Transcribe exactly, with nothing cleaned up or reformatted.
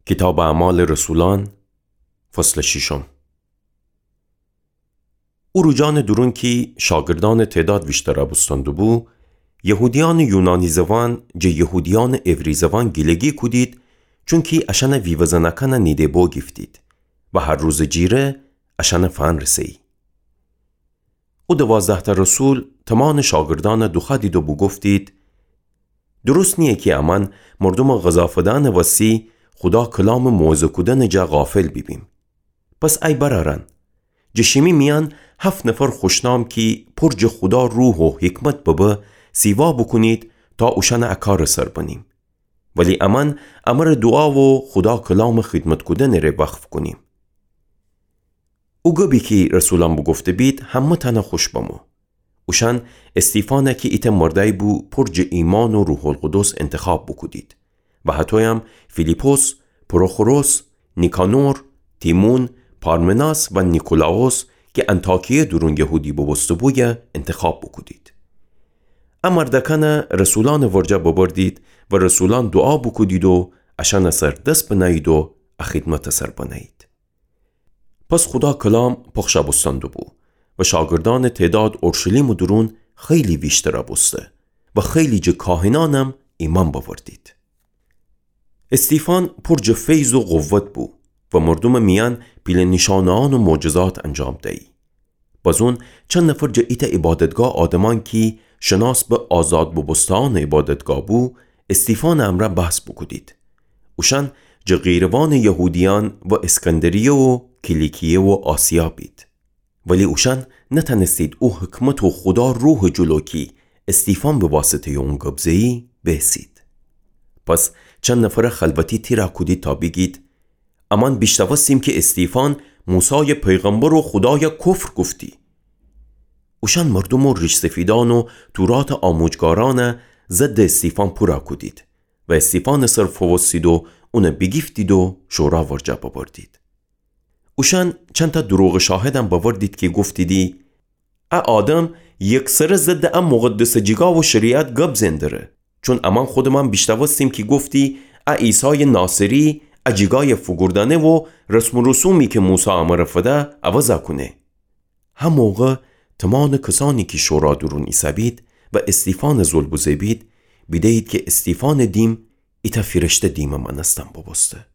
کیتابٚ اعمالٚ رسولأن، فصلٚ شیشم. او روجأنٚ دورون کی شاگردأنٚ تعداد ویشترَ بوستن دوبو، یهودیأنٚ یونانی زوأن جٚه یهودیأنٚ عبری زوأن گیلگی کودید، چونکی اشأنٚ ویوزنأکأنَ نیده بوگیفتید و هر روزٚ جیره اشأنَ فأنرسه‌یی. او دوازده‌تأ رسول تومانٚ شاگردأنَ دوخوأدید و بوگفتید: درست نییه کی امأن مردومٚ غذا فدأنٚ وسی خودا کلامٚ موعظه کودنٚ جا غافل بیبیم. پس ای برأرأن، جٚه شیمی میأن هفت نفر خوشنام کی پر جٚه خودا روح و حکمت ببه، سیوا بوکونید تا اوشأنٚ ا کارٚ سر بنیم. ولی امأن امرأ دوعا و خودا کلامٚ خدمت کودنٚ ره وقف کونیم. او گبی کی رسولأن بوگفته بید همه‌تأنَ خوش بمو. اوشأن استیفانَ کی ایتأ مردأیی بو پر جٚه ایمأن و روح‌القدس انتخاب بوکودید و هطویم فیلیپس، پروخوروس، نیکانور، تیمون، پارمناس و نیکولاوس کی انطاکیه دورون یهودی بوبوسته‌بویه انتخاب بوکودید. ا مردأکأنَ رسولأنٚ ورجه ببردید و رسولأن دوعا بوکودید و اشأنٚ سر دس بنه‌یید و ا خدمتٚ سر بنه‌یید. پس خودا کلام پخشَ بوستن دوبو و شاگردأنٚ تعداد اورشلیمٚ دورون خیلی ویشترَ بوسته و خیلی جٚه کاهنأنم ایمأن بأوردید. استیفان پر جٚه فیض و قوت بو و مردومٚ میأن پیله نیشأنه‌یأن و معجزات انجام دیی. بازون چند نفر جٚه ایتأ عبادتگاه آدمأن کی شناس به آزاد بوبوسته‌یأنٚ عبادتگاه بو، استیفانٚ امرأ بحث بوکودید. اوشأن جٚه قیروانٚ یهودیأن و اسکندریه و کیلیکیه و آسیا بید. ولی اوشأن نتأنستید او حکمت و خودا روحٚ جلو کی استیفان به واسطه‌یٚ اون گب زه‌یی بیسید. پس چند نفرَ خلوتی تیرَ کودید تا بیگید: امأن بیشنوستیم کی استیفان موسایٚ پیغمبر و خودایَ کفر گفتی. اوشأن مردوم و ریش‌سفیدأن و توراتٚ آموجگارأنَ ضدٚ استیفان پورَ کودید و استیفانٚ سر فووستید و اونَ بیگیفتید و شورا ورجه ببردید. اوشأن چندتأ دروغٚ شاهدم بأوردید کی گفتیدی: ا آدم یکسره ضدٚ ا مقدسٚ جیگا و شریعت گب زئن دره. چون امأن خودمأن بیشنوستیم کی گفتی ا عیسایٚ ناصری ا جیگایَ فوگوردأنه و رسم و رسومی کی موسی امرَ فده عوضَ کونه. هموقع تومانٚ کسأنی کی شورا دورون ایسه‌بید و استیفانٚ زل بوزه‌بید، بیده‌یید کی استیفانٚ دیم ایتأ فیرشته دیمٚ مأنستن بوبوسته.